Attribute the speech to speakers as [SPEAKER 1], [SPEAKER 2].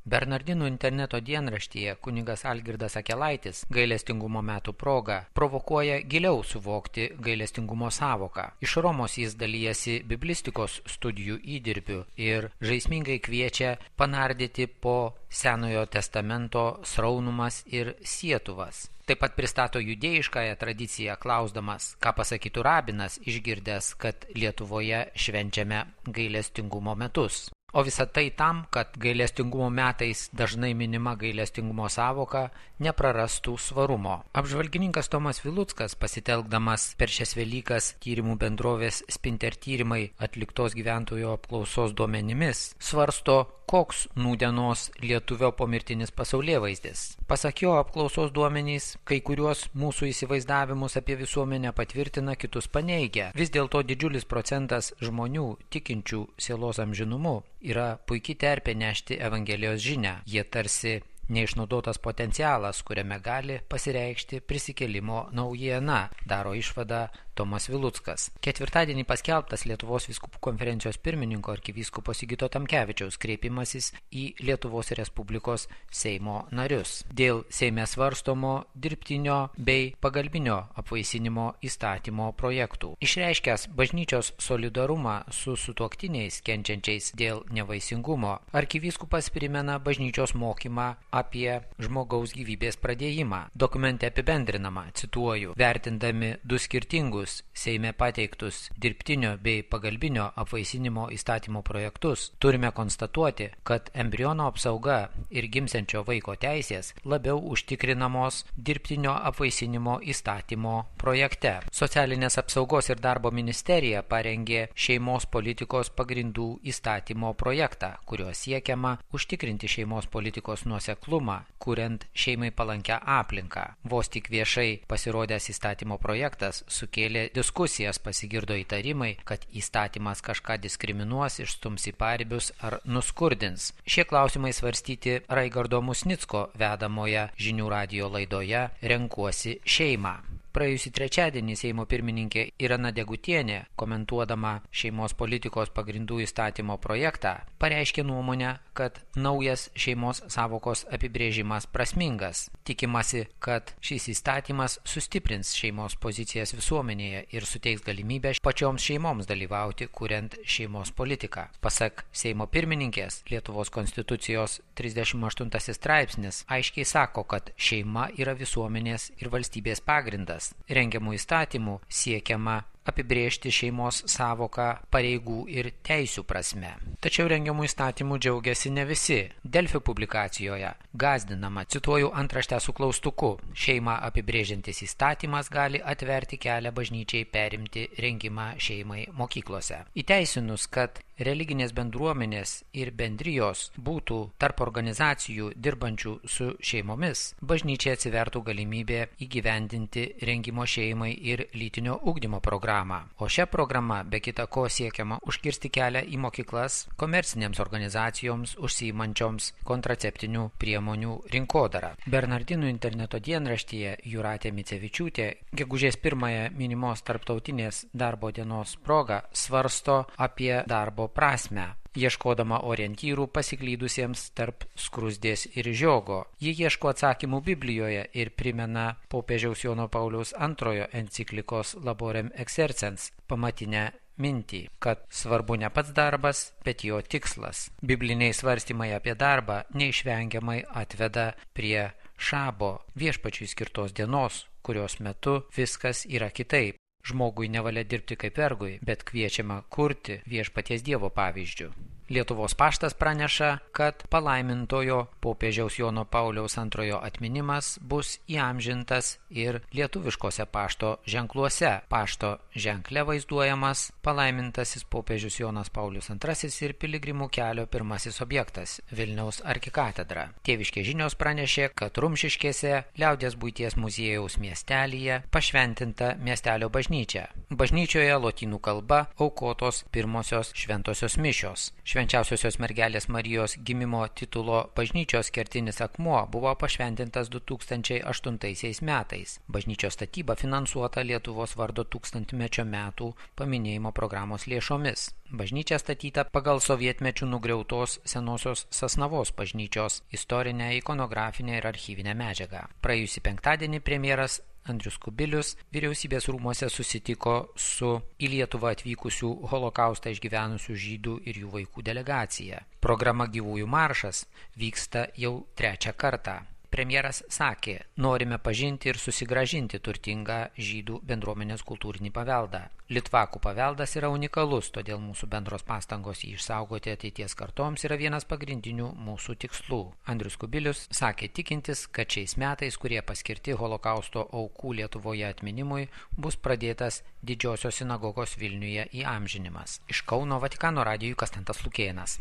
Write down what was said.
[SPEAKER 1] Bernardinų interneto dienraštyje kunigas Algirdas Akelaitis gailestingumo metų proga provokuoja giliau suvokti gailestingumo savoką. Iš Romos jis dalijasi biblistikos studijų įdirbiu ir žaismingai kviečia panardyti po Senojo testamento sraunumas ir sietuvas. Taip pat pristato judėjiškąją tradiciją, klausdamas, ką pasakytų rabinas, išgirdęs, kad Lietuvoje švenčiame gailestingumo metus. O visa tai tam, kad gailestingumo metais dažnai minima gailestingumo savoka neprarastų svarumo. Apžvalgininkas Tomas Viluckas, pasitelkdamas per šias Velykas tyrimų bendrovės Spinter tyrimai atliktos gyventojų apklausos duomenimis, svarsto, koks nūdienos lietuvio pomirtinis pasaulėvaizdis. Pasak jo, apklausos duomenys kai kuriuos mūsų įsivaizdavimus apie visuomenę patvirtina, kitus paneigia. Vis dėlto didžiulis procentas žmonių tikinčių sielos amžinumu yra puikiai terpė nešti Evangelijos žinią. Jie tarsi neišnaudotas potencialas, kuriame gali pasireikšti prisikėlimo naujiena, daro išvadą Tomas Viluckas. Ketvirtadienį paskelbtas Lietuvos vyskupų konferencijos pirmininko arkivyskupo Sigito Tamkevičiaus kreipimasis į Lietuvos Respublikos Seimo narius dėl Seime svarstomo dirbtinio bei pagalbinio apvaisinimo įstatymo projektų. Išreiškęs bažnyčios solidarumą su sutuoktiniais kenčiančiais dėl nevaisingumo, arkivyskupas primena bažnyčios mokymą apie žmogaus gyvybės pradėjimą. Dokumente apibendrinama, cituoju, vertindami du skirtingus Seime pateiktus dirbtinio bei pagalbinio apvaisinimo įstatymo projektus, turime konstatuoti, kad embriono apsauga ir gimsiančio vaiko teisės labiau užtikrinamos dirbtinio apvaisinimo įstatymo projekte. Socialinės apsaugos ir darbo ministerija parengė šeimos politikos pagrindų įstatymo projektą, kuriuo siekiama užtikrinti šeimos politikos nuoseklumą, kuriant šeimai palankę aplinką. Vos tik viešai pasirodęs įstatymo projektas sukėlė diskusijas, pasigirdo įtarimai, kad įstatymas kažką diskriminuos, išstums į paribius ar nuskurdins. Šie klausimai svarstyti Raigardo Musnicko vedamoje žinių radijo laidoje Renkuosi šeimą. Praėjusį trečiadienį Seimo pirmininkė Irena Degutienė, komentuodama šeimos politikos pagrindų įstatymo projektą, pareiškė nuomonę, kad naujas šeimos savokos apibrėžimas prasmingas. Tikimasi, kad šis įstatymas sustiprins šeimos pozicijas visuomenėje ir suteiks galimybę pačioms šeimoms dalyvauti, kuriant šeimos politiką. Pasak Seimo pirmininkės, Lietuvos konstitucijos 38 straipsnis aiškiai sako, kad šeima yra visuomenės ir valstybės pagrindas. Rengiamų įstatymų siekiama apibrėžti šeimos savoką pareigų ir teisių prasme. Tačiau rengiamų įstatymų džiaugiasi ne visi. Delfi publikacijoje gąsdinama, cituoju antraštę su klaustuku, šeimą apibrėžiantis įstatymas gali atverti kelią bažnyčiai perimti rengimą šeimai mokyklose. Įteisinus, kad religinės bendruomenės ir bendrijos būtų tarp organizacijų dirbančių su šeimomis, bažnyčiai atsivertų galimybė įgyvendinti rengimo šeimai ir lytinio ugdymo programą. O šią programą be kita ko siekiama užkirsti kelią į mokyklas komercinėms organizacijoms užsiimančioms kontraceptinių priemonių rinkodarą. Bernardinų interneto dienraštyje Jūratė Micevičiūtė gegužės 1 minimos tarptautinės darbo dienos proga svarsto apie darbo prasmę, ieškodama orientyrų pasiklydusiems tarp skruzdės ir žiogo. Ji ieško atsakymų Biblijoje ir primena popiežiaus Jono Pauliaus II enciklikos Laborem Exercens pamatinę mintį, kad svarbu ne pats darbas, bet jo tikslas. Bibliniai svarstymai apie darbą neišvengiamai atveda prie šabo, Viešpačiui skirtos dienos, kurios metu viskas yra kitaip. Žmogui nevalia dirbti kaip vergui, bet kviečiama kurti Viešpaties Dievo pavyzdžiu. Lietuvos paštas praneša, kad palaimintojo popiežiaus Jono Pauliaus II atminimas bus įamžintas ir lietuviškose pašto ženkluose. Pašto ženkle vaizduojamas palaimintasis popiežius Jonas Paulius II ir piligrimų kelio pirmasis objektas – Vilniaus arkikatedra. Tėviškės žinios pranešė, kad Rumšiškėse Liaudies buities muziejaus miestelyje pašventinta miestelio bažnyčia. Bažnyčioje lotynų kalba aukotos pirmosios šventosios mišios. Švenčiausiosios mergelės Marijos gimimo titulo bažnyčioje bažnyčios kertinis akmuo buvo pašventintas 2008 metais. Bažnyčios statyba finansuota Lietuvos vardo 1000-mečio metų paminėjimo programos lėšomis. Bažnyčia statyta pagal sovietmečių nugriautos senosios Sasnavos bažnyčios istorinę, ikonografinę ir archyvinę medžiagą. Praėjusį penktadienį premjeras Andrius Kubilius vyriausybės rūmuose susitiko su į Lietuvą atvykusių holokaustą išgyvenusių žydų ir jų vaikų delegacija. Programa Gyvųjų maršas vyksta jau 3. kartą. Premjeras sakė, norime pažinti ir susigrąžinti turtingą žydų bendruomenės kultūrinį paveldą. Litvakų paveldas yra unikalus, todėl mūsų bendros pastangos jį išsaugoti ateities kartoms yra vienas pagrindinių mūsų tikslų. Andrius Kubilius sakė tikintis, kad šiais metais, kurie paskirti holokausto aukų Lietuvoje atminimui, bus pradėtas Didžiosios sinagogos Vilniuje įamžinimas. Iš Kauno Vatikano radijui Konstantas Lukėnas.